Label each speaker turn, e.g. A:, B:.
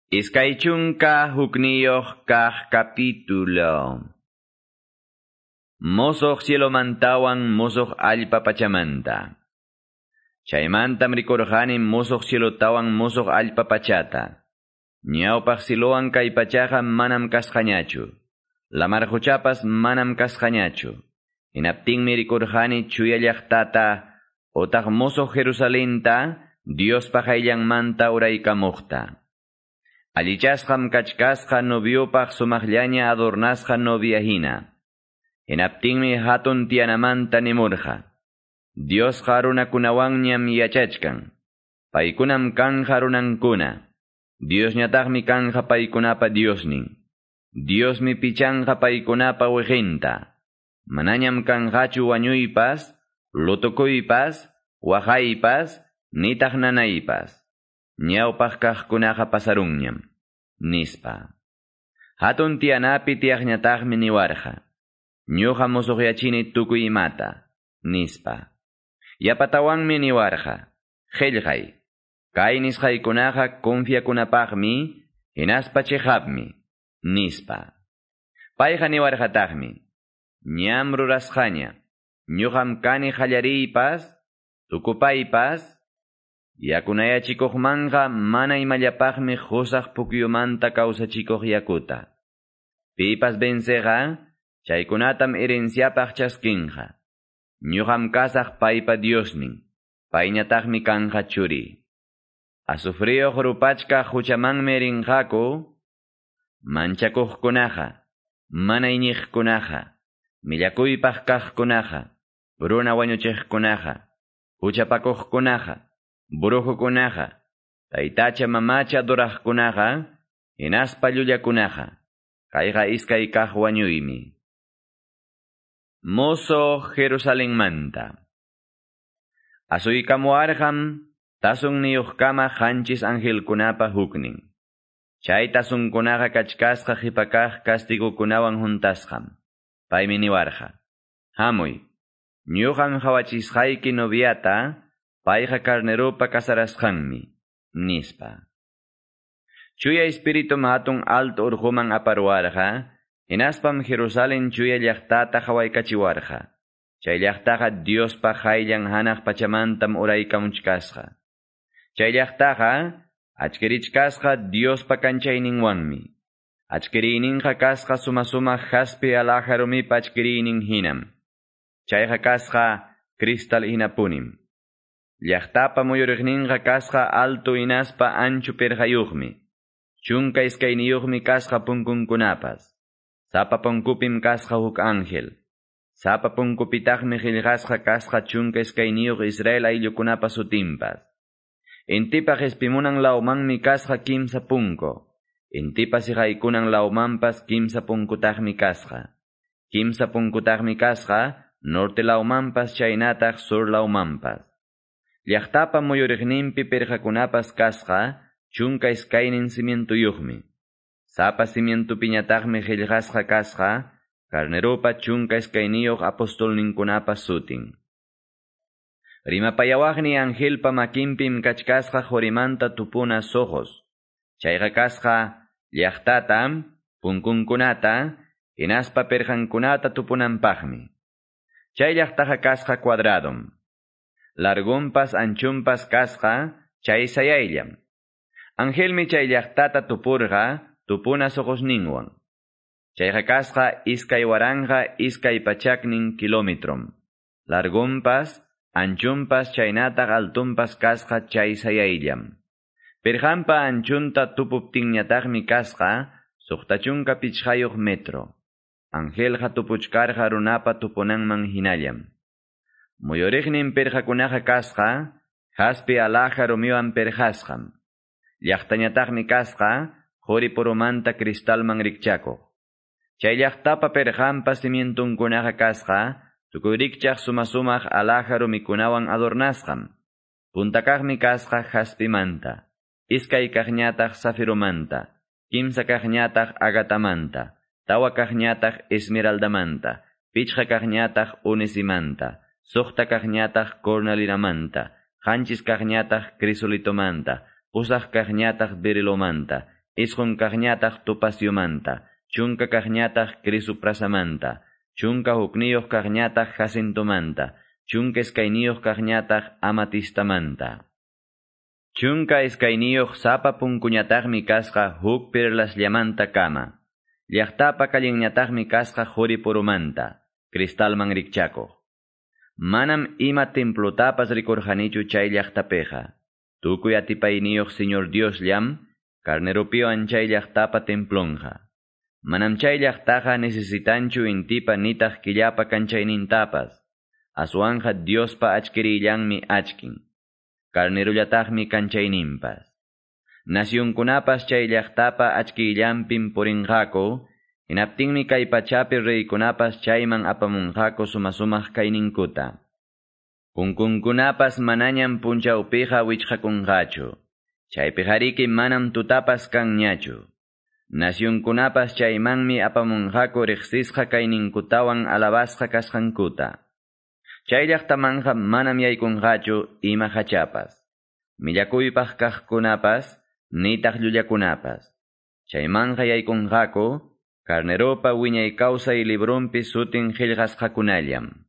A: 21 kaq capítulo. Mosoq cielomantawan mosoq allpa pachamanta. Chaymantam rikurqani mosoq cielotawan mosoq allpa pachata. Ñawpaq silowan kay pachaqa manam kasqañachu. Lamar quchapas manam kasqañachu. Hinaptinmi rikurqani chuya llaqtata otaq mosoq Jerusalenta Diospa qayllanmanta uraykamuqta. Allichasqam kachkasqa noviopaq sumaqllaña adornasqa novia hina. Hinaptinmi hatun tiyanamanta nimurqa. Diosqa runakunawanñam yachachkan. Paykunam kanja runankuna. Diosñataqmi kanja paykunapa Diosnin. Diosmi pichanqa paykunapa wiqinta. Manañam kanqachu wañuypas, lutukuypas, waqaypas, nitaq nanaypas. Ñawpaq kaqkunaqa pasarunñam, nispa. Hatun tiyanapi tiyaqñataqmi niwarqa. Ñuqa musuqyachini tukuy imata, nispa. Yapatawanmi niwarqa. Qillqay. Kay nisqaykunaqa confiakunapaqmi, hinaspa chiqapmi, nispa. Payqa niwarqataqmi. Ñam rurasqaña. Ñuqam kani qallariypas, tukupaypas, yakunayachikuqmanqa mana imallapaqmi qusaq pukyumanta kawsachikuq yakuta. Pipas venceqa, chaykunatam herenciapaq chaskinqa. Ñuqam kasaq paypa Diosnin, payñataqmi kanja churi. Azufriyuq rupachkaq huchamanmi rinqaku, manchakuqkunaqa, mana iñiqkunaqa, millakuypaq kaqkunaqa, runa wañuchiqkunaqa, huchapakuqkunaqa, brujukunaqa, taytacha mamacha adoraqkunaqa, hinaspa llullakunaqa, kayqa iskay kaq wañuymi. Mozo Jerusalenmanta. Asuykamuarqam tasunniyuqkama qanchis angelkunapa huknin. Chay tasunkunaqa kachkasqa qhipakaq castigukunawan juntasqam. Paymi niwarqa. Hamuy, ñuqam qhawachisqayki noviata, payqa carneropa casarasqanmi, nispa. Chuya espíritu hatun alto urquman aparuarqa, hinaspam Jerusalén chuya llaqtata qhawaykachiwarqa. Chay llaqtaqa Diospa qayllan hanaq pachamantam uraykamuchkasqa. Chay llaqtaqa achkirichkasqa Diospa kanchayninwanmi. Achkiriyninqa kasqa suma-sumaq jaspe alhaja rumipa achkiriynin hinam. Chayqa kasqa cristal hinapunim. Llaqtapa muyuriqninqa kasqa alto hinaspa ancho pirqayuqmi. 12 kasqa punkunkunapas. Sapa punkupim kasqa huk ángel. Sapa punkupitaqmi qillqasqa kasqa 12 Israel ayllukunapa sutinpas. Intipa qhispimunan lawmanmi kasqa 3 punku. Intipa siqaykunan lawmanpas 3 punkutaqmi kasqa. 3 punkutaqmi kasqa norte lawmanpas chaynataq sur lawmanpas. Llaqtapa muyuriqninpi pirqakunapas kasqa 12 cimientuyuqmi. Sapa cimientupiñataqmi qillqasqa kasqa carneropa 12 apostolninkunapa sutin. Rimapayawaqni angelpa makinpim kachkasqa qorimanta tupuna sojos. Chayqa kasqa llaqtata, punkunkunata, hinaspa pirqankunata tupunanpaqmi. Chay llaqtaqa kasqa cuadradom. Largunpas anchunpas kasqa chay sayayllam. Angelmi chay llaqtata tupurqa tupuna sojosninwan. Chayqa kasqa 2200 kilometrom. Largunpas, anchunpas chaynataq altunpas kasqa chay sayayllam. Pirqanpa anchunta tupuptinñataqmi kasqa 65 metro. Angelqa tupuchkarqa runapa tupunanman hinallam. Muyuriqnin pirqakunaqa kasqa jaspe alhaja rumiwan pirqasqam. Llaqtañataqmi kasqa quri purumanta cristalman rikchakuq. Chay llaqtapa pirqanpa cimientunkunaqa kasqa tukuy rikchaq suma-sumaq alhaja rumikunawan adornasqam. Puntakaqmi kasqa jaspimanta, iskay kaqñataq zafiromanta, kimsa kaqñataq agatamanta, tawa kaqñataq esmeraldamanta, pichqa kaqñataq onisimanta, suqta kaqñataq cornalinamanta, qanchis kaqñataq crisolitomanta, pusaq kaqñataq berilomanta, Isqun kaqñataq topaciomanta, chunka kaqñataq crisoprasamanta, 11 kaqñataq jacintomanta, 12 kaqñataq amatistamanta. 12 sapa punkuñataqmi kasqa huk perlasllamanta kama. Llaqtapa kallinñataqmi kasqa quri purumanta, cristalman rikchakuq. Manam ima templotapas rikurqanichu chay llaqtapiqa. Tukuy atipayniyuq Señor Diosllam, carneropiwan chay llaqtapa templonqa. Manam chay llaqtaqa necesitanchu intipa nitaq killapa kanchaynintapas. Aswanqa Diospa achkirillanmi achkin. Carnerollataqmi kanchayninpas. Nacionkunapas chay llaqtapa achkillanpim purinqaku, hinaptinmi kay pachapi reykunapas chayman apamunqaku sumasumaq kayninkuta. Punkunkunapas manañam punchawpiqa wichqakunqachu. Chaypiqariki manam tutapas kanñachu. Nacionkunapas chaymanmi apamunqaku riqsisqa kayninkutawan alabasqa kasqankuta. Chay llaqtamanqa manam yaykunqachu ima hachapas. Millakuypaq kaqkunapas, nitaq llullakunapas. Chaymanqa yaykunqaku, carneropa wiñay kawsay librunpi sutin qillqasqakunallam.